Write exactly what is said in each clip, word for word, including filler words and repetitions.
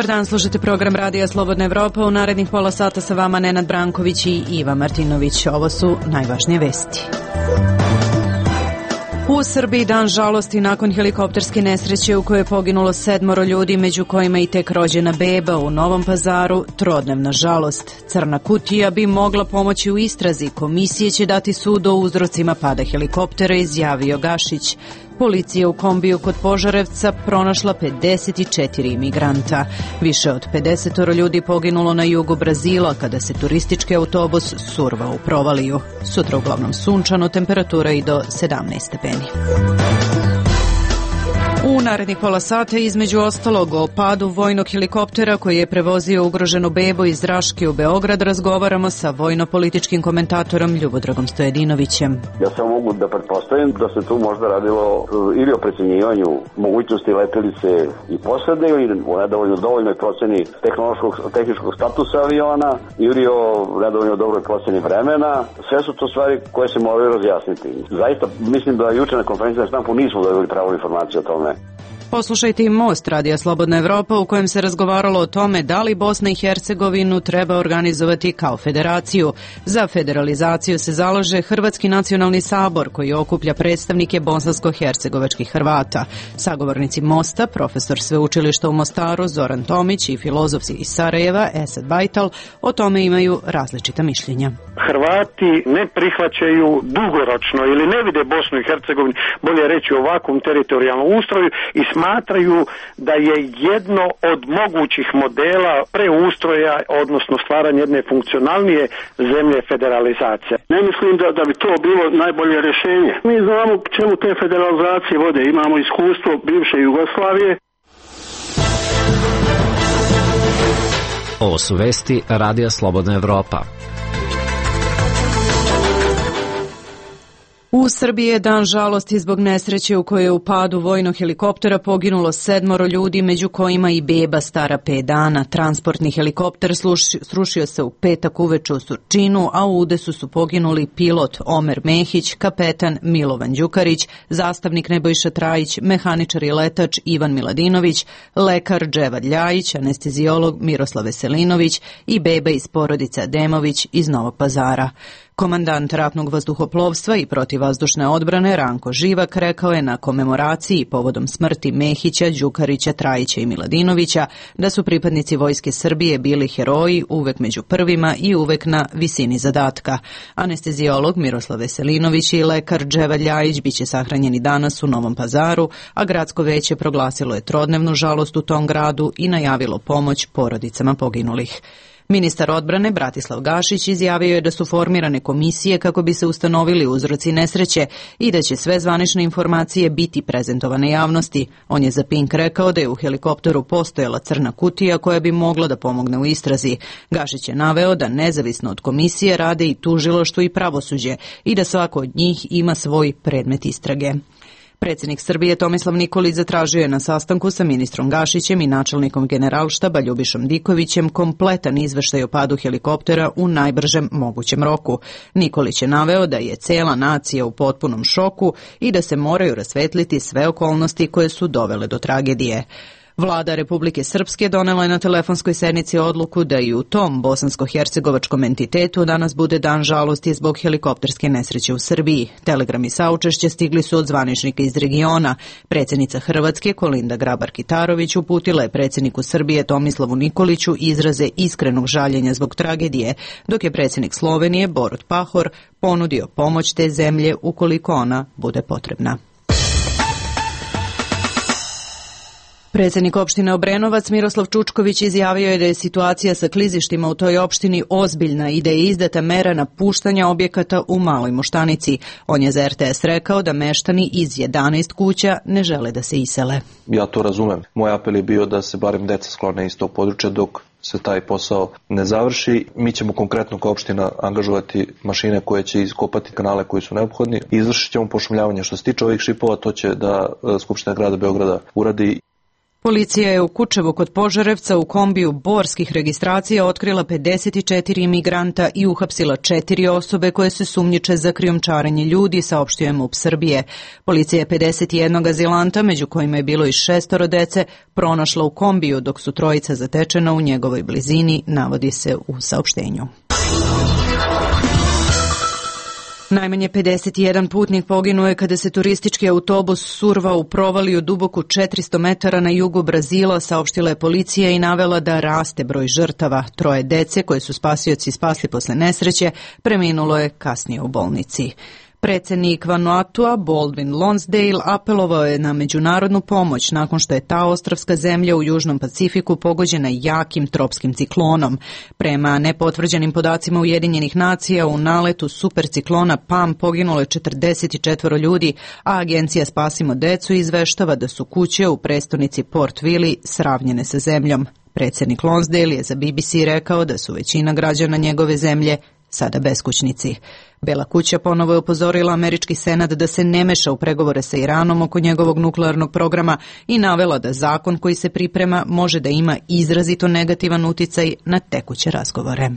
Dobar dan, slušate program Radija Slobodna Evropa. U narednih pola sata sa vama Nenad Branković i Iva Martinović. Ovo su najvažnije vesti. U Srbiji dan žalosti nakon helikopterske nesreće u kojoj je poginulo sedmoro ljudi, među kojima i tek rođena beba. U Novom Pazaru trodnevna žalost. Crna kutija bi mogla pomoći u istrazi. Komisije će dati sud o uzrocima pada helikoptera, izjavio Gašić. Policija u kombiju kod Požarevca pronašla pedeset četiri imigranta. Više od pedeset ljudi poginulo na jugu Brazila kada se turistički autobus survao u provaliju. Sutra uglavnom sunčano, temperatura i do sedamnaest stepeni. U narednih pola sata, između ostalog, o padu vojnog helikoptera koji je prevozio ugroženu bebu iz Raške u Beograd, razgovaramo sa vojno-političkim komentatorom Ljubodragom Stojedinovićem. Ja samo mogu da pretpostavim da se tu možda radilo ili o precenjivanju mogućnosti letelice i posade, ili o nedovoljno dovoljnoj proceni tehnološkog, tehničkog statusa aviona, ili o nedovoljno dobroj proceni vremena. Sve su to stvari koje se moraju razjasniti. Zaista mislim da juče na konferenciji na štampu nismo dobili pravu informaciju o tome. Poslušajte i Most Radija Slobodna Evropa, u kojem se razgovaralo o tome da li Bosna i Hercegovinu treba organizovati kao federaciju. Za federalizaciju se zalaže Hrvatski nacionalni sabor, koji okuplja predstavnike bosansko-hercegovačkih Hrvata. Sagovornici Mosta, profesor sveučilišta u Mostaru Zoran Tomić i filozof iz Sarajeva Esad Bajtal, o tome imaju različita mišljenja. Hrvati ne prihvaćaju dugoročno ili ne vide Bosnu i Hercegovinu, bolje reći, u ovakvom teritorijalnom ustroju i smatraju da je jedno od mogućih modela preustroja, odnosno stvaranja jedne funkcionalnije zemlje federalizacije. Ne mislim da, da bi to bilo najbolje rješenje. Mi znamo čemu te federalizacije vode. Imamo iskustvo bivše Jugoslavije. Ovo su vesti Radija Slobodna Evropa. U Srbiji je dan žalosti zbog nesreće u kojoj je u padu vojnog helikoptera poginulo sedmoro ljudi, među kojima i beba stara pet dana. Transportni helikopter srušio se u petak uveče u Surčinu, a u udesu su poginuli pilot Omer Mehić, kapetan Milovan Đukarić, zastavnik Nebojša Trajić, mehaničar i letač Ivan Miladinović, lekar Dževad Ljajić, anestezijolog Miroslav Veselinović i beba iz porodice Ademović iz Novog Pazara. Komandant ratnog vazduhoplovstva i protivvazdušne odbrane Ranko Živak rekao je na komemoraciji povodom smrti Mehića, Đukarića, Trajića i Miladinovića da su pripadnici Vojske Srbije bili heroji, uvek među prvima i uvek na visini zadatka. Anestezijolog Miroslav Veselinović i lekar Dževad Ljajić biće sahranjeni danas u Novom Pazaru, a gradsko veće proglasilo je trodnevnu žalost u tom gradu i najavilo pomoć porodicama poginulih. Ministar odbrane Bratislav Gašić izjavio je da su formirane komisije kako bi se ustanovili uzroci nesreće i da će sve zvanične informacije biti prezentovane javnosti. On je za Pink rekao da je u helikopteru postojala crna kutija koja bi mogla da pomogne u istrazi. Gašić je naveo da nezavisno od komisije rade i tužilaštvo i pravosuđe i da svako od njih ima svoj predmet istrage. Predsjednik Srbije Tomislav Nikolić zatražio je na sastanku sa ministrom Gašićem i načelnikom Generalštaba Ljubišom Dikovićem kompletan izveštaj o padu helikoptera u najbržem mogućem roku. Nikolić je naveo da je cela nacija u potpunom šoku i da se moraju rasvetliti sve okolnosti koje su dovele do tragedije. Vlada Republike Srpske donela je na telefonskoj sednici odluku da i u tom bosansko-hercegovačkom entitetu danas bude dan žalosti zbog helikopterske nesreće u Srbiji. Telegrami saučešća stigli su od zvaničnika iz regiona. Predsjednica Hrvatske Kolinda Grabar-Kitarović uputila je predsjedniku Srbije Tomislavu Nikoliću izraze iskrenog žaljenja zbog tragedije, dok je predsjednik Slovenije Borut Pahor ponudio pomoć te zemlje ukoliko ona bude potrebna. Predsjednik opštine Obrenovac Miroslav Čučković izjavio je da je situacija sa klizištima u toj opštini ozbiljna i da je izdata mera napuštanja objekata u Maloj Moštanici. On je za er te es rekao da meštani iz jedanaest kuća ne žele da se isele. Ja to razumem. Moj apel je bio da se barem deca sklone iz tog područja dok se taj posao ne završi. Mi ćemo konkretno kao opština angažovati mašine koje će iskopati kanale koji su neophodni. Izvršit ćemo pošumljavanje. Što se tiče ovih šipova, to će da Skupština grada Beograda uradi. Policija je u Kučevu kod Požarevca u kombiju borskih registracija otkrila pedeset četiri imigranta i uhapsila četiri osobe koje se sumnjiče za krijumčarenje ljudi, saopštio je MUP Srbije. Policija je pedeset jedan azilanta, među kojima je bilo i šestoro dece, pronašla u kombiju, dok su trojica zatečena u njegovoj blizini, navodi se u saopštenju. Najmanje pedeset jedan putnik poginuo je kada se turistički autobus survao u provaliju duboku četiristo metara na jugu Brazila, saopštila je policija i navela da raste broj žrtava. Troje dece koje su spasioci spasli posle nesreće preminulo je kasnije u bolnici. Predsednik Vanuatua Baldwin Lonsdale apelovao je na međunarodnu pomoć nakon što je ta ostrvska zemlja u Južnom Pacifiku pogođena jakim tropskim ciklonom. Prema nepotvrđenim podacima Ujedinjenih nacija, u naletu superciklona Pam poginulo je četrdeset četiri ljudi, a agencija Spasimo decu izveštava da su kuće u prestonici Port Vili sravnjene sa zemljom. Predsednik Lonsdale je za B B C rekao da su većina građana njegove zemlje sada beskućnici. Bela kuća ponovo je upozorila američki senat da se ne meša u pregovore sa Iranom oko njegovog nuklearnog programa i navela da zakon koji se priprema može da ima izrazito negativan uticaj na tekuće razgovore.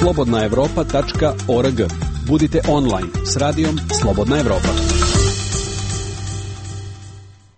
slobodna evropa tačka org. Budite online s radijom Slobodna Evropa.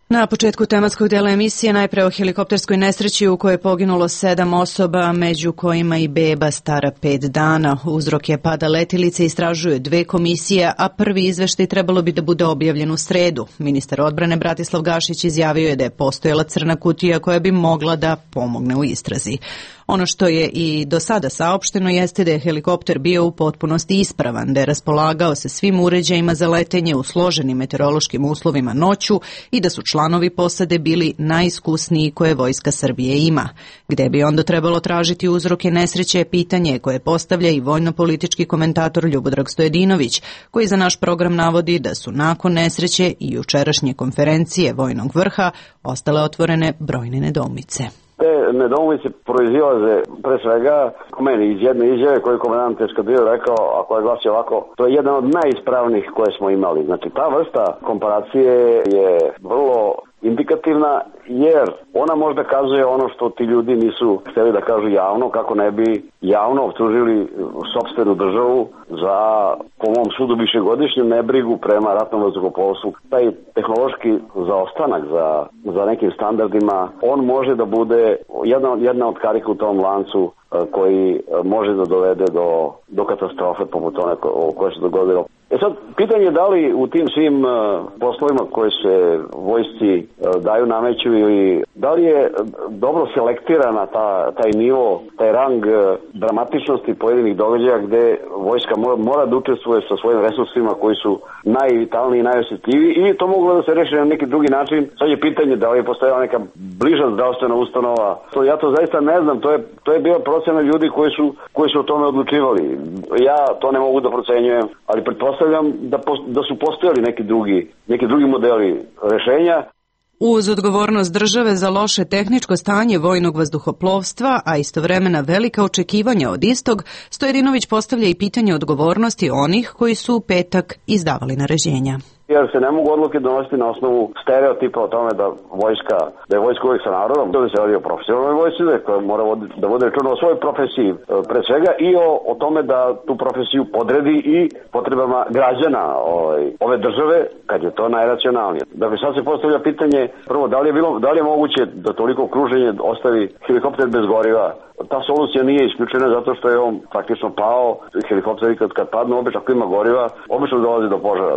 Na početku tematskog dela emisije najpre o helikopterskoj nesreći u kojoj je poginulo sedam osoba, među kojima i beba stara pet dana. Uzrok je pada letilice, istražuju dve komisije, a prvi izveštaj trebalo bi da bude objavljen u sredu. Ministar odbrane Bratislav Gašić izjavio je da je postojala crna kutija koja bi mogla da pomogne u istrazi. Ono što je i do sada saopšteno jeste da je helikopter bio u potpunosti ispravan, da je raspolagao sa svim uređajima za letenje u složenim meteorološkim uslovima noću i da su članovi posade bili najiskusniji koje Vojska Srbije ima. Gde bi onda trebalo tražiti uzroke nesreće je pitanje koje postavlja i vojno-politički komentator Ljubodrag Stojedinović, koji za naš program navodi da su nakon nesreće i jučerašnje konferencije vojnog vrha ostale otvorene brojne nedoumice. Te nedoumice proizilaze pre svega po meni iz jedne izjave koju komandant eskadrile rekao, a koja glasi ovako: to je jedan od najispravnijih koje smo imali. Znači ta vrsta komparacije je vrlo indikativna, jer ona možda kazuje ono što ti ljudi nisu hteli da kažu javno, kako ne bi javno optužili sopstvenu državu za, po mom sudu, višegodišnju nebrigu prema ratnom vazduhoplovstvu. Taj tehnološki zaostanak za, za nekim standardima, on može da bude jedna, jedna od karika u tom lancu koji može da dovede do, do katastrofe poput one koje se dogodilo. E sad, pitanje je da li u tim svim uh, poslovima koje se vojsci uh, daju, nameću, ili da li je dobro selektirana ta, taj nivo, taj rang uh, dramatičnosti pojedinih događaja gde vojska mora, mora da učestvuje sa svojim resursima koji su najvitalniji i najosjetljiviji, ili to moglo da se reši na neki drugi način. Sad je pitanje da li je postojala neka bliža zdravstvena ustanova. To, ja to zaista ne znam, to je, to je bila procena ljudi koji su, koji su o tome odlučivali. Ja to ne mogu da procenjujem, ali pretpostavljam Da, da su postojali neki drugi, neki drugi modeli rešenja. Uz odgovornost države za loše tehničko stanje vojnog vazduhoplovstva, a istovremena velika očekivanja od istog, Stojedinović postavlja i pitanje odgovornosti onih koji su u petak izdavali naređenja. Jer se ne mogu odluke donositi na osnovu stereotipa o tome da vojska, da je vojska uvijek sa narodom, da se radi o profesionalnoj vojsci, koja mora vodi, da vode računa o svojoj profesiji pre svega i o, o tome da tu profesiju podredi i potrebama građana ovaj, ove države, kad je to najracionalnije. Dakle, sad se postavlja pitanje, prvo, da li je, bilo, da li je moguće da toliko okruženje ostavi helikopter bez goriva? Ta solucija nije isključena zato što je on praktično pao. Helikopteri kad, kad padnu, obično ako ima goriva, obično dolazi do požara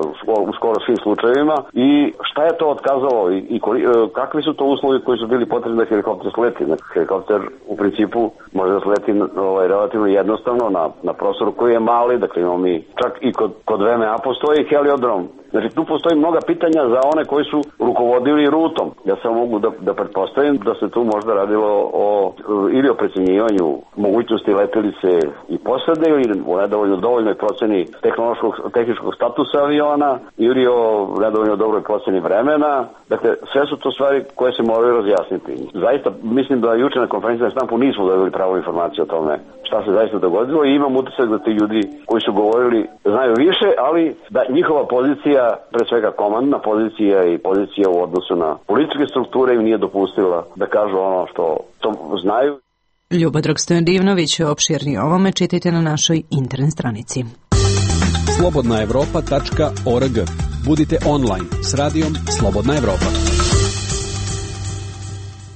u skoro svim slučajevima. I šta je to otkazalo i, i koli, kakvi su to uslovi koji su bili potrebni da helikopter sleti? Helikopter u principu može da sleti ovaj, relativno jednostavno na, na prostoru koji je mali, dakle imamo mi čak i kod, kod V M A postoji heliodrom. Znači tu postoji mnoga pitanja za one koji su rukovodili rutom. Ja samo mogu da, da pretpostavim da se tu možda radilo o, ili o precenjivanju precenjivanju mogućnosti letelice i posade ili u nedovoljno dovoljnoj proceni tehnološkog, tehničkog statusa aviona ili o nedovoljno dobroj proceni vremena. Dakle, sve su to stvari koje se moraju razjasniti. Zaista, mislim da juče na konferenciji na štampu nismo dobili pravu informaciju o tome šta se zaista dogodilo i imam utisak da ti ljudi koji su govorili znaju više, ali da njihova pozicija, pre svega komandna pozicija i pozicija u odnosu na političke strukture im nije dopustila da kažu ono što to znaju. Ljubodrag Stojadinović, opširni o ovome čitajte na našoj internet stranici. slobodna evropa tačka org. Budite online s radijom Slobodna Evropa.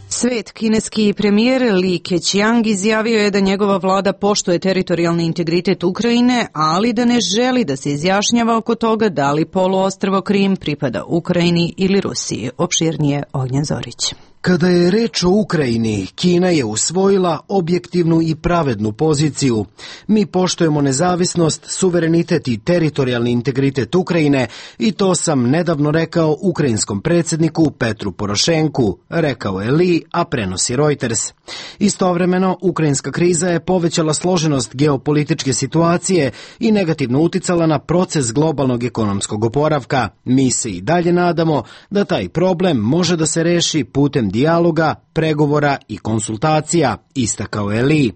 Svet, kineski premijer Li Keqiang izjavio je da njegova vlada poštuje teritorijalni integritet Ukrajine, ali da ne želi da se izjašnjava oko toga da li poluostrvo Krim pripada Ukrajini ili Rusiji. Opširnije Ognjen Zorić. Kada je reč o Ukrajini, Kina je usvojila objektivnu i pravednu poziciju. Mi poštujemo nezavisnost, suverenitet i teritorijalni integritet Ukrajine i to sam nedavno rekao ukrajinskom predsjedniku Petru Porošenku, rekao je Li, a prenosi Reuters. Istovremeno, ukrajinska kriza je povećala složenost geopolitičke situacije i negativno uticala na proces globalnog ekonomskog oporavka. Mi se i dalje nadamo da taj problem može da se reši putem dijaloga, pregovora i konsultacija, istakao je Li.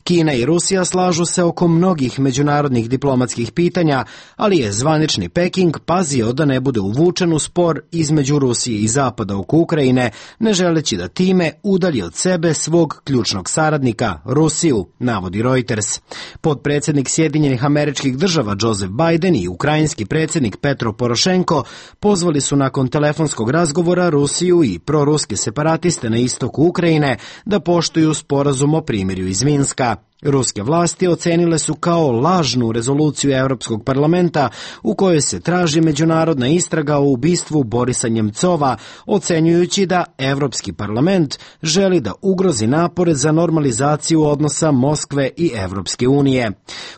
Kina i Rusija slažu se oko mnogih međunarodnih diplomatskih pitanja, ali je zvanični Peking pazio da ne bude uvučen u spor između Rusije i Zapada oko Ukrajine, ne želeći da time udalji od sebe svog ključnog saradnika, Rusiju, navodi Reuters. Podpredsjednik Sjedinjenih Američkih Država Joseph Biden i ukrajinski predsjednik Petro Porošenko pozvali su nakon telefonskog razgovora Rusiju i proruske separatiste na istoku Ukrajine da poštuju sporazum o primirju iz Minska. Ruske vlasti ocenile su kao lažnu rezoluciju Europskog parlamenta u kojoj se traži međunarodna istraga o ubistvu Borisa Njemcova, ocenjujući da Europski parlament želi da ugrozi napore za normalizaciju odnosa Moskve i Europske unije.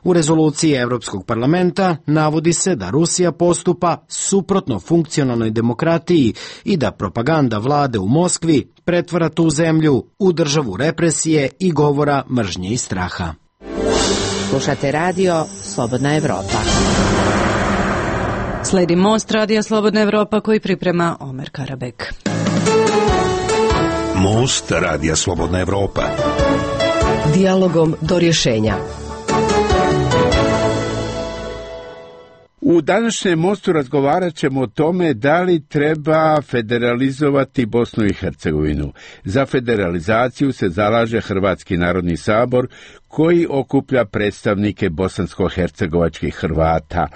U rezoluciji Europskog parlamenta navodi se da Rusija postupa suprotno funkcionalnoj demokratiji i da propaganda vlade u Moskvi pretvara tu zemlju u državu represije i govora mržnje i straha. Slušate radio Slobodna Evropa. Sledi Most radija Slobodna Evropa koji priprema Omer Karabek. Most radija Slobodna Evropa. Dijalogom do rješenja. U današnjem Mostu razgovarat ćemo o tome da li treba federalizovati Bosnu i Hercegovinu. Za federalizaciju se zalaže Hrvatski narodni sabor koji okuplja predstavnike bosansko-hercegovačkih Hrvata.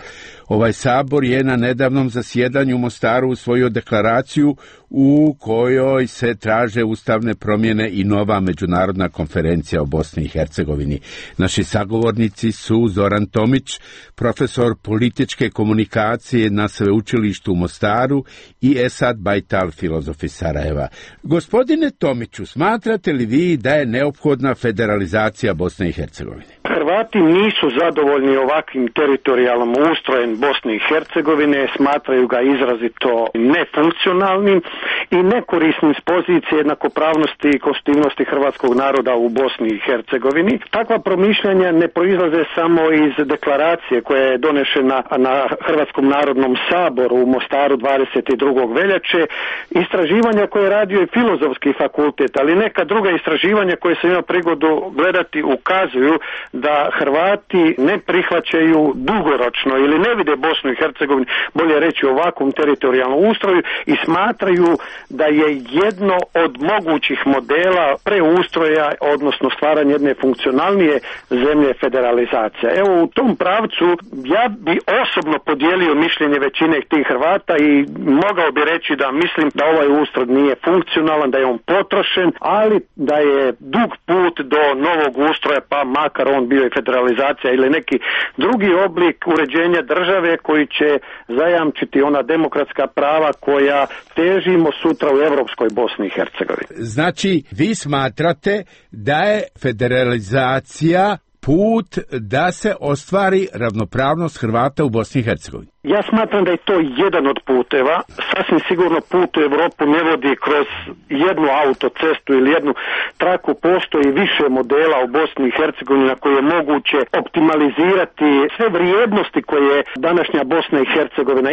Ovaj sabor je na nedavnom zasjedanju u Mostaru usvojio deklaraciju u kojoj se traže ustavne promjene i nova međunarodna konferencija o Bosni i Hercegovini. Naši sagovornici su Zoran Tomić, profesor političke komunikacije na sveučilištu u Mostaru i Esad Bajtal, filozof iz Sarajeva. Gospodine Tomiću, smatrate li vi da je neophodna federalizacija Bosne i Hercegovine? Hrvati nisu zadovoljni ovakvim teritorijalnom ustrojem Bosne i Hercegovine, smatraju ga izrazito nefunkcionalnim i nekorisnim s pozicije jednakopravnosti i konstitutivnosti hrvatskog naroda u Bosni i Hercegovini. Takva promišljanja ne proizlaze samo iz deklaracije koja je donešena na Hrvatskom narodnom saboru u Mostaru dvadeset drugog veljače, istraživanja koje je radio i Filozofski fakultet, ali neka druga istraživanja koje sam imao prigodu gledati ukazuju da Hrvati ne prihvaćaju dugoročno ili ne vide Bosnu i Hercegovinu, bolje reći ovakvom teritorijalnom ustroju, i smatraju da je jedno od mogućih modela preustroja, odnosno stvaranja jedne funkcionalnije zemlje federalizacija. Evo, u tom pravcu ja bi osobno podijelio mišljenje većine tih Hrvata i mogao bi reći da mislim da ovaj ustroj nije funkcionalan, da je on potrošen, ali da je dug put do novog ustroja, pa makar on bio i federalizacija ili neki drugi oblik uređenja države koji će zajamčiti ona demokratska prava koja težimo sutra u europskoj Bosni i Hercegovini. Znači, vi smatrate da je federalizacija put da se ostvari ravnopravnost Hrvata u Bosni i Hercegovini? Ja smatram da je to jedan od puteva. Sasvim sigurno put u Europu ne vodi kroz jednu autocestu ili jednu traku. Postoji više modela u Bosni i Hercegovini na koje je moguće optimalizirati sve vrijednosti koje današnja Bosna i Hercegovina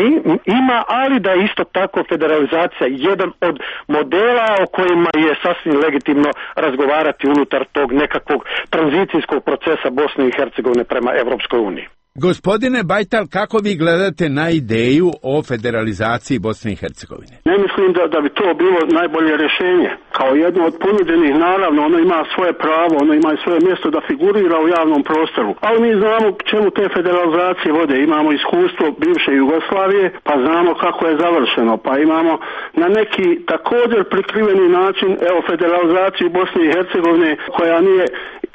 ima, ali da je isto tako federalizacija jedan od modela o kojima je sasvim legitimno razgovarati unutar tog nekakvog tranzicijskog procesa Bosne i Hercegovine prema Evropskoj uniji. Gospodine Bajtal, kako vi gledate na ideju o federalizaciji Bosne i Hercegovine? Ne mislim da, da bi to bilo najbolje rješenje. Kao jedno od ponuđenih, naravno, ono ima svoje pravo, ono ima svoje mjesto da figurira u javnom prostoru. Ali mi znamo čemu te federalizacije vode. Imamo iskustvo bivše Jugoslavije, pa znamo kako je završeno. Pa imamo na neki također prikriveni način, evo, federalizaciju Bosne i Hercegovine, koja nije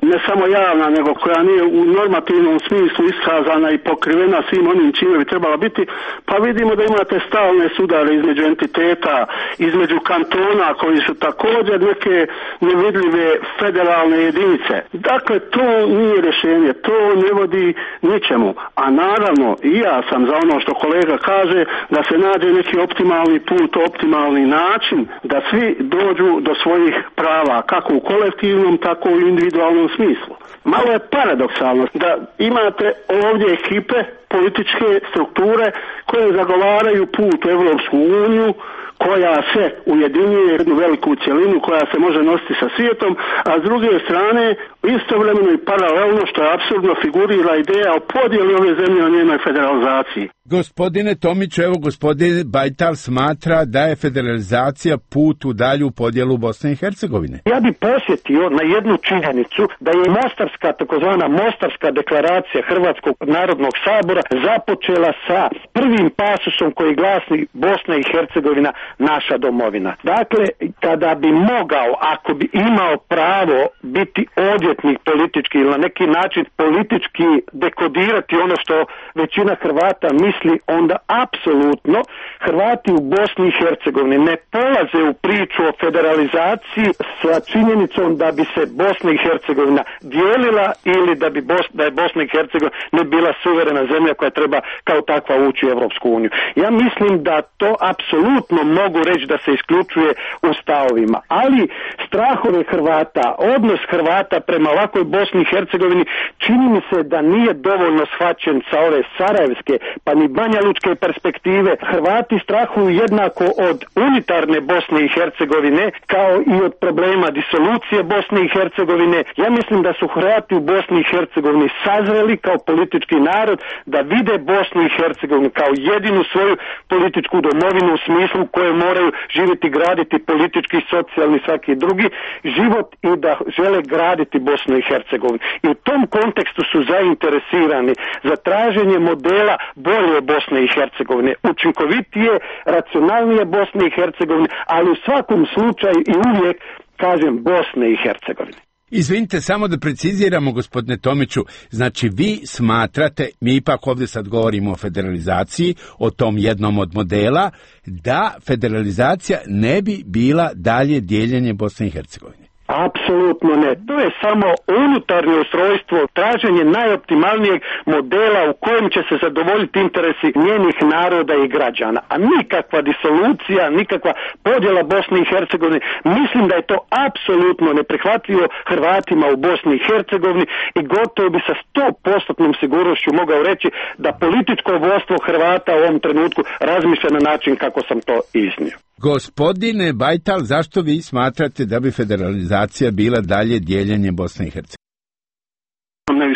ne samo javna, nego koja nije u normativnom smislu iskazana i pokrivena svim onim čime bi trebala biti, pa vidimo da imate stalne sudare između entiteta, između kantona koji su također neke nevidljive federalne jedinice. Dakle, to nije rješenje, to ne vodi ničemu. A naravno, i ja sam za ono što kolega kaže, da se nađe neki optimalni put, optimalni način, da svi dođu do svojih prava, kako u kolektivnom, tako i u individualnom smislu. Malo je paradoksalno da imate ovdje ekipe, političke strukture koje zagovaraju put u Evropsku uniju, koja se ujedinjuje jednu veliku cjelinu koja se može nositi sa svijetom, a s druge strane istovremeno i paralelno, što je apsurdno, figurira ideja o podjeli ove zemlje o njenoj federalizaciji. Gospodine Tomiću, evo gospodin Bajtal smatra da je federalizacija put u dalju podjelu Bosne i Hercegovine. Ja bih posjetio na jednu činjenicu da je Mostarska, takozvana Mostarska deklaracija Hrvatskog narodnog sabora započela sa prvim pasusom koji glasi Bosna i Hercegovina naša domovina. Dakle, kada bi mogao, ako bi imao pravo biti odvjetnik politički ili na neki način politički dekodirati ono što većina Hrvata misli, onda apsolutno Hrvati u Bosni i Hercegovini ne polaze u priču o federalizaciji sa činjenicom da bi se Bosna i Hercegovina dijelila ili da bi Bos, da je Bosna i Hercegovina ne bila suverena zemlja koja treba kao takva ući u Evropsku uniju. Ja mislim da to apsolutno mogu reći da se isključuje u stavovima, ali strahove Hrvata, odnos Hrvata prema ovakvoj Bosni i Hercegovini čini mi se da nije dovoljno shvaćen sa ove sarajevske pa ni Banja Lučke perspektive. Hrvati strahuju jednako od unitarne Bosne i Hercegovine kao i od problema disolucije Bosne i Hercegovine. Ja mislim da su Hrvati u Bosni i Hercegovini sazreli kao politički narod da vide Bosnu i Hercegovinu kao jedinu svoju političku domovinu u smislu koje moraju živjeti, graditi politički, socijalni, svaki drugi život i da žele graditi Bosnu i Hercegovinu. I u tom kontekstu su zainteresirani za traženje modela bolje Bosne i Hercegovine, učinkovitije, racionalnije Bosne i Hercegovine, ali u svakom slučaju i uvijek kažem Bosne i Hercegovine. Izvinite, samo da preciziramo, gospodine Tomiću, znači vi smatrate, mi ipak ovdje sad govorimo o federalizaciji, o tom jednom od modela, da federalizacija ne bi bila dalje dijeljenje Bosne i Hercegovine. Apsolutno ne. To je samo unutarnje ustrojstvo, traženje najoptimalnijeg modela u kojem će se zadovoljiti interesi njenih naroda i građana. A nikakva disolucija, nikakva podjela Bosne i Hercegovine, mislim da je to apsolutno neprihvatljivo Hrvatima u Bosni i Hercegovini i gotovo bi sa sto posto sigurnošću mogao reći da političko vodstvo Hrvata u ovom trenutku razmišlja na način kako sam to iznio. Gospodine Bajtal, zašto vi smatrate da bi federalizacija bila dalje dijeljenje Bosne i Hercegovine?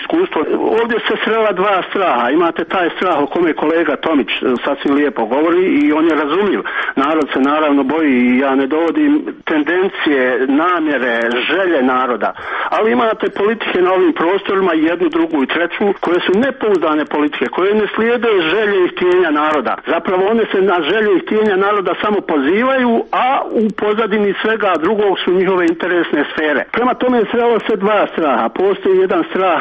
Iskustvo. Ovdje se srela dva straha. Imate taj strah o kome kolega Tomić sasvim lijepo govori i on je razumljiv. Narod se naravno boji i ja ne dovodim tendencije, namjere, želje naroda. Ali imate politike na ovim prostorima, jednu, drugu i treću, koje su nepouzdane politike, koje ne slijede želje i htjenja naroda. Zapravo one se na želje i htjenja naroda samo pozivaju, a u pozadini svega drugog su njihove interesne sfere. Prema tome srelo se dva straha. Postoji jedan strah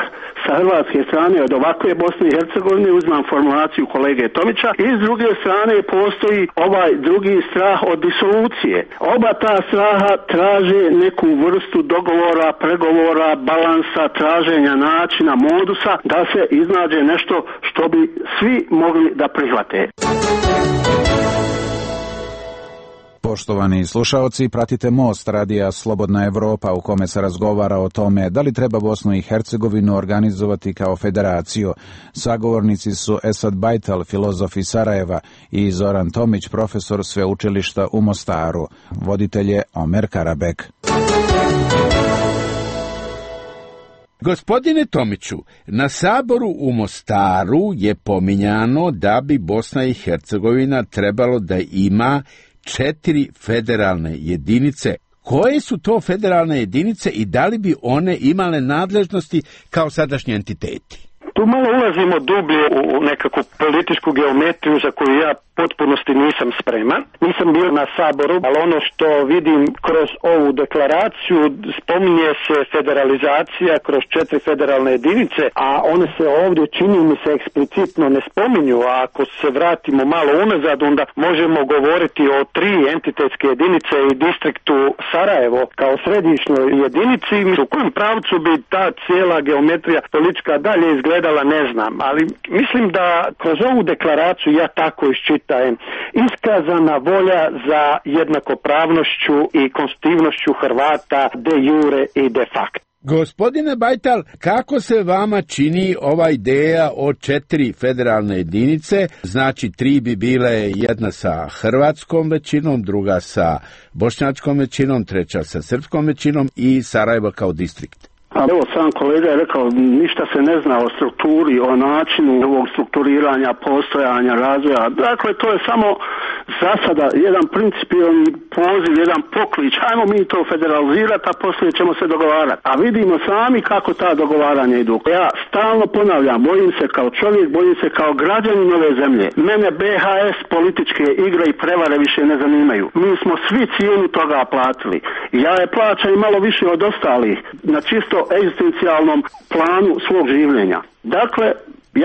sa hrvatske strane od ovakve Bosne i Hercegovine, uzmam formulaciju kolege Tomića, i s druge strane postoji ovaj drugi strah od disolucije. Oba ta straha traže neku vrstu dogovora, pregovora, balansa, traženja načina, modusa da se iznađe nešto što bi svi mogli da prihvate. Poštovani slušaoci, pratite Most radija Slobodna Evropa u kome se razgovara o tome da li treba Bosnu i Hercegovinu organizovati kao federaciju. Sagovornici su Esad Bajtal, filozof iz Sarajeva, i Zoran Tomić, profesor sveučilišta u Mostaru. Voditelj je Omer Karabek. Gospodine Tomiću, na saboru u Mostaru je pominjano da bi Bosna i Hercegovina trebalo da ima četiri federalne jedinice. Koje su to federalne jedinice i da li bi one imale nadležnosti kao sadašnji entiteti? Tu malo ulazimo dublje u nekakvu političku geometriju za koju ja potpunosti nisam spreman. Nisam bio na saboru, ali ono što vidim kroz ovu deklaraciju, spominje se federalizacija kroz četiri federalne jedinice, a one se ovdje, čini mi se, eksplicitno ne spominju, a ako se vratimo malo unazad, onda možemo govoriti o tri entitetske jedinice i distriktu Sarajevo kao središnjoj jedinici. U kojem pravcu bi ta cijela geometrija politička dalje izgledala, ne znam, ali mislim da kroz ovu deklaraciju ja tako iščitam iskazana volja za jednakopravnošću i konstitutivnošću Hrvata de jure i de facto. Gospodine Bajtal, kako se vama čini ova ideja o četiri federalne jedinice? Znači, tri bi bile, jedna sa hrvatskom većinom, druga sa bošnjačkom većinom, treća sa srpskom većinom i Sarajevo kao distrikt. A evo, sam kolega je rekao, ništa se ne zna o strukturi, o načinu ovog strukturiranja, postojanja, razvoja. Dakle, to je samo za sada jedan principijalni poziv, jedan poklič. Hajmo mi to federalizirati, a poslije ćemo se dogovarati. A vidimo sami kako ta dogovaranja idu. Ja stalno ponavljam, bojim se kao čovjek, bojim se kao građanin ove zemlje. Mene be ha es političke igre i prevare više ne zanimaju. Mi smo svi cijenu toga platili. Ja je plaćam i malo više od ostalih, na čisto egzistencijalnom planu svog življenja. Dakle,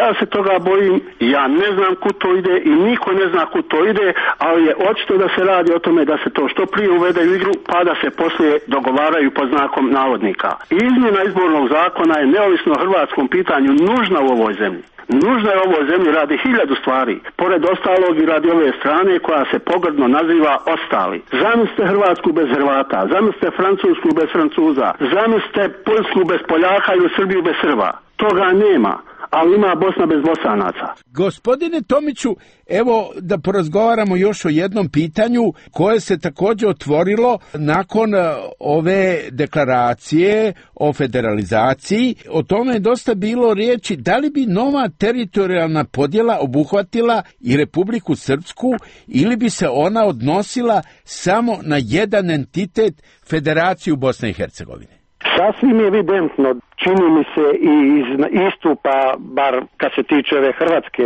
ja se toga bojim, ja ne znam kud to ide i niko ne zna kud to ide, ali je očito da se radi o tome da se to što prije uvede u igru, pa da se poslije dogovaraju pod znakom navodnika. Izmjena izbornog zakona je neovisno o hrvatskom pitanju nužna u ovoj zemlji. Nužna je u ovoj zemlji radi hiljadu stvari, pored ostalog i radi ove strane koja se pogrdno naziva ostali. Zamislite Hrvatsku bez Hrvata, zamislite Francusku bez Francuza, zamislite Poljsku bez Poljaka ili Srbiju bez Srba. Toga nema, ali ima Bosna bez Bosanaca. Gospodine Tomiću, evo da porazgovaramo još o jednom pitanju koje se također otvorilo nakon ove deklaracije o federalizaciji. O tome je dosta bilo riječi da li bi nova teritorijalna podjela obuhvatila i Republiku Srpsku ili bi se ona odnosila samo na jedan entitet, Federaciju Bosne i Hercegovine. Sasvim je evidentno, čini mi se i iz istupa, bar kad se tiče ove hrvatske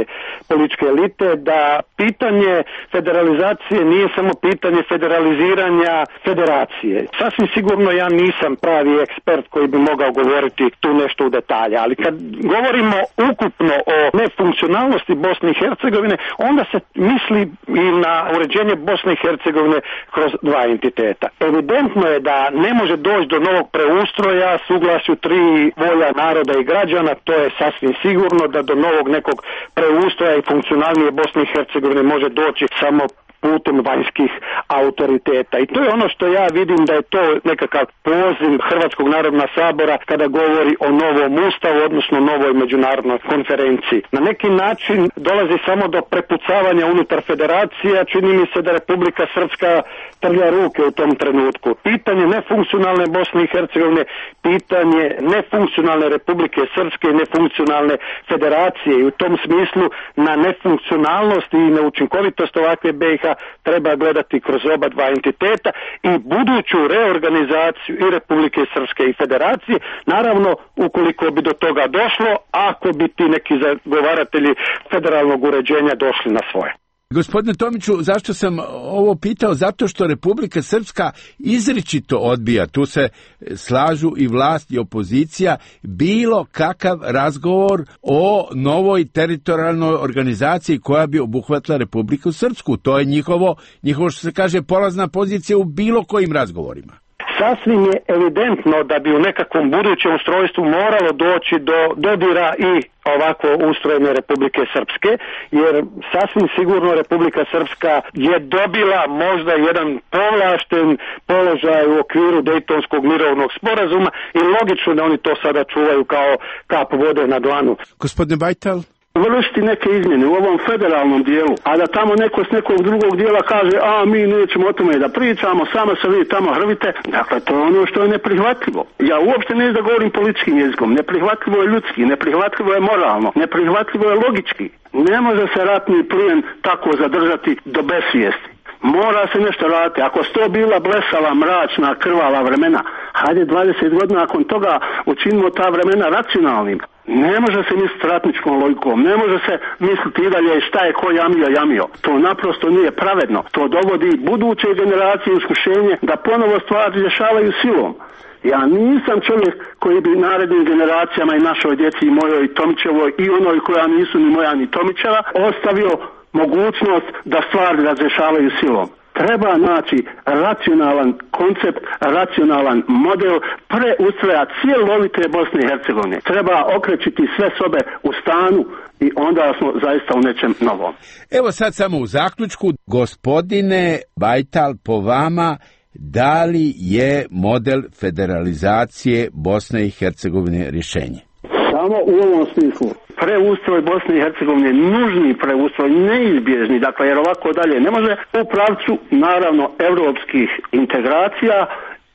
političke elite, da pitanje federalizacije nije samo pitanje federaliziranja federacije. Sasvim sigurno ja nisam pravi ekspert koji bi mogao govoriti tu nešto u detalje, ali kad govorimo ukupno o nefunkcionalnosti Bosne i Hercegovine, onda se misli i na uređenje Bosne i Hercegovine kroz dva entiteta. Evidentno je da ne može doći do novog preustroja, suglasju tri volja naroda i građana, to je sasvim sigurno da do novog nekog preustroja i funkcionalnije Bosne i Hercegovine može doći samo putem vanjskih autoriteta. I to je ono što ja vidim da je to nekakav poziv Hrvatskog narodnog sabora kada govori o novom ustavu, odnosno novoj međunarodnoj konferenciji. Na neki način dolazi samo do prepucavanja unutar federacija, čini mi se da Republika Srpska trlja ruke u tom trenutku. Pitanje nefunkcionalne Bosne i Hercegovine, pitanje nefunkcionalne Republike Srpske i nefunkcionalne federacije, i u tom smislu na nefunkcionalnost i neučinkovitost ovakve be i ha treba gledati kroz oba dva entiteta i buduću reorganizaciju i Republike Srpske i federacije, naravno ukoliko bi do toga došlo, ako bi ti neki zagovaratelji federalnog uređenja došli na svoje. Gospodine Tomiću, zašto sam ovo pitao? Zato što Republika Srpska izričito odbija, tu se slažu i vlast i opozicija, bilo kakav razgovor o novoj teritorijalnoj organizaciji koja bi obuhvatila Republiku Srpsku. To je njihovo, njihovo što se kaže, polazna pozicija u bilo kojim razgovorima. Sasvim je evidentno da bi u nekakvom budućem ustrojstvu moralo doći do dodira i ovako ustrojene Republike Srpske, jer sasvim sigurno Republika Srpska je dobila možda jedan povlašten položaj u okviru Dejtonskog mirovnog sporazuma i logično da oni to sada čuvaju kao kap vode na dlanu. Gospodine Bajtal? Vršiti neke izmjene u ovom federalnom dijelu, a da tamo neko s nekog drugog dijela kaže, a mi nećemo o tome da pričamo, samo se vi tamo hrvite, dakle to je ono što je neprihvatljivo. Ja uopšte ne da govorim političkim jezikom, neprihvatljivo je ljudski, neprihvatljivo je moralno, neprihvatljivo je logički. Ne može se ratni plijen tako zadržati do besvijesti. Mora se nešto raditi. Ako su to bila blesava, mračna, krvava vremena, hajde dvadeset godina nakon toga učinimo ta vremena racionalnim. Ne može se misliti ratničkom logikom, ne može se misliti i dalje šta je ko jamio, jamio. To naprosto nije pravedno. To dovodi buduće generacije iskušenje da ponovo stvari rješavaju silom. Ja nisam čovjek koji bi narednim generacijama i našoj djeci i mojoj i Tomićevoj i onoj koja nisu ni moja ni Tomićeva ostavio mogućnost da stvari razrješavaju silom. Treba naći racionalan koncept, racionalan model preustroja cjelovite Bosne i Hercegovine. Treba okrećiti sve sobe u stanu i onda smo zaista u nečem novom. Evo sad samo u zaključku, gospodine Bajtal, po vama, da li je model federalizacije Bosne i Hercegovine rješenje? Samo u ovom smislu. Preustroj Bosne i Hercegovine, nužni preustroj, neizbježni, dakle jer ovako dalje ne može, u pravcu naravno europskih integracija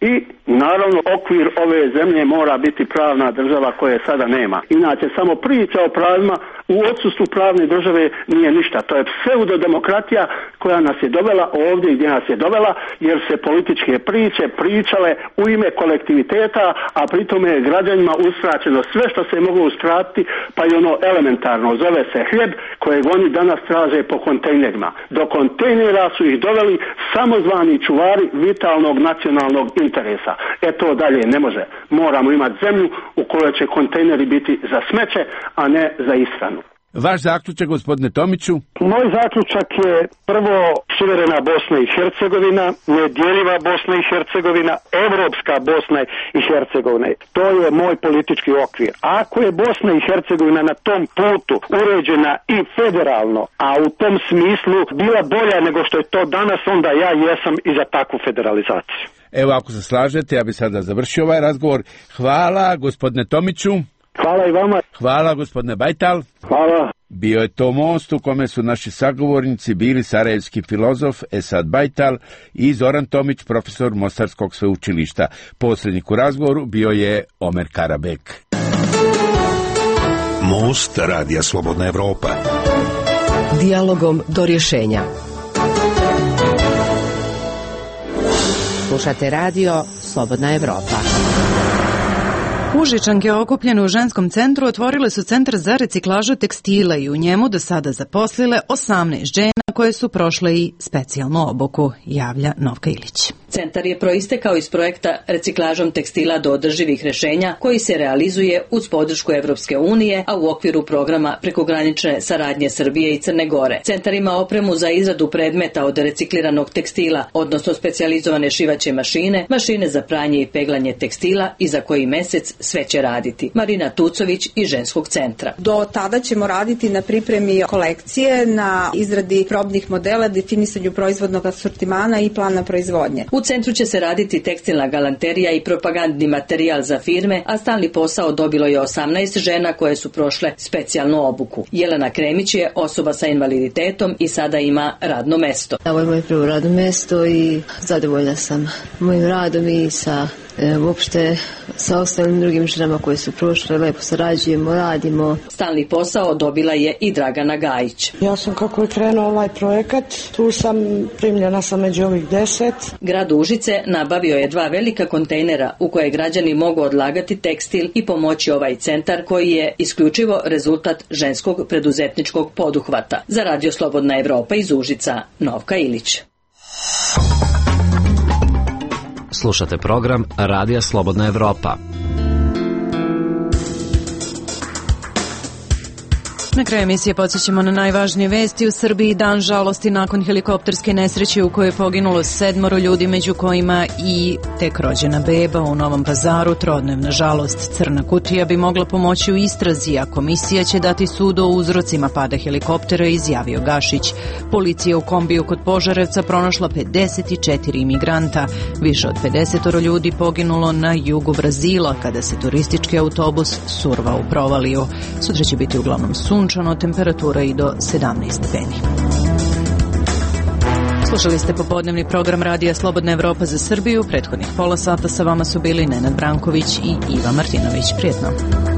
i naravno okvir ove zemlje mora biti pravna država koje sada nema. Inače samo priča o pravima u odsustvu pravne države nije ništa. To je pseudodemokratija koja nas je dovela ovdje gdje nas je dovela, jer se političke priče pričale u ime kolektiviteta, a pritome je građanima uskraćeno sve što se je moglo uskratiti, pa i ono elementarno zove se hljeb kojeg oni danas traže po kontejnerima. Do kontejnera su ih doveli samozvani čuvari vitalnog nacionalnog interesa. E to dalje ne može. Moramo imati zemlju u kojoj će kontejneri biti za smeće, a ne za ishranu. Vaš zaključak, gospodine Tomiću? Moj zaključak je prvo suverena Bosna i Hercegovina, nedjeljiva Bosna i Hercegovina, evropska Bosna i Hercegovina. To je moj politički okvir. Ako je Bosna i Hercegovina na tom putu uređena i federalno, a u tom smislu bila bolja nego što je to danas, onda ja jesam i za takvu federalizaciju. Evo, ako se slažete, ja bih sada završio ovaj razgovor. Hvala, gospodine Tomiću. Hvala i vama. Hvala, gospodine Bajtal. Hvala. Bio je to most u kome su naši sagovornici bili sarajevski filozof Esad Bajtal i Zoran Tomić, profesor Mostarskog sveučilišta. Posrednik u razgovoru bio je Omer Karabek. Most Radija Slobodna Evropa. Dijalogom do rješenja. Slušate radio Slobodna Evropa. Užičanke okupljene u ženskom centru otvorile su centar za reciklažu tekstila i u njemu do sada zaposlile osamnaest žena koje su prošle i specijalnu obuku, javlja Novka Ilić. Centar je proistekao iz projekta Reciklažom tekstila do održivih rješenja koji se realizuje uz podršku Evropske unije, a u okviru programa prekogranične saradnje Srbije i Crne Gore. Centar ima opremu za izradu predmeta od recikliranog tekstila, odnosno specijalizovane šivaće mašine, mašine za pranje i peglanje tekstila i za koji mjesec sve će raditi. Marina Tucović iz ženskog centra. Do tada ćemo raditi na pripremi kolekcije, na izradi probnih modela, definisanju proizvodnog asortimana i plana proizvodnje. U centru će se raditi tekstilna galanterija i propagandni materijal za firme, a stalni posao dobilo je osamnaest žena koje su prošle specijalnu obuku. Jelena Kremić je osoba sa invaliditetom i sada ima radno mesto. Ovo je moje prvo radno mesto i zadovoljna sam mojim radom i sa e, uopšte sa ostalim drugim ženama koje su prošle, lepo sarađujemo, radimo. Stalni posao dobila je i Dragana Gajić. Ja sam kako je krenuo ovaj projekat, tu sam primljena sam među ovih deset. Grad Užice nabavio je dva velika kontejnera u koje građani mogu odlagati tekstil i pomoći ovaj centar koji je isključivo rezultat ženskog preduzetničkog poduhvata. Za Radio Slobodna Evropa iz Užica, Novka Ilić. Slušate program Radija Slobodna Evropa. Na kraju emisije podsjećamo na najvažnije vesti. U Srbiji dan žalosti nakon helikopterske nesreće u kojoj je poginulo sedmoro ljudi, među kojima i tek rođena beba. U Novom Pazaru trodnevna žalost. Crna kutija bi mogla pomoći u istrazi, a komisija će dati sud o uzrocima pada helikoptera, izjavio Gašić. Policija u kombiju kod Požarevca pronašla pedeset četiri imigranta. Više od pedeset ljudi poginulo na jugu Brazila kada se turistički autobus survao u provaliju. Sutra će biti uglavnom sunčano, temperatura i do sedamnaest stepeni. Slušali ste popodnevni program Radija Slobodna Evropa za Srbiju. Prethodnih pola sata sa vama su bili Nenad Branković i Iva Martinović. Prijetno.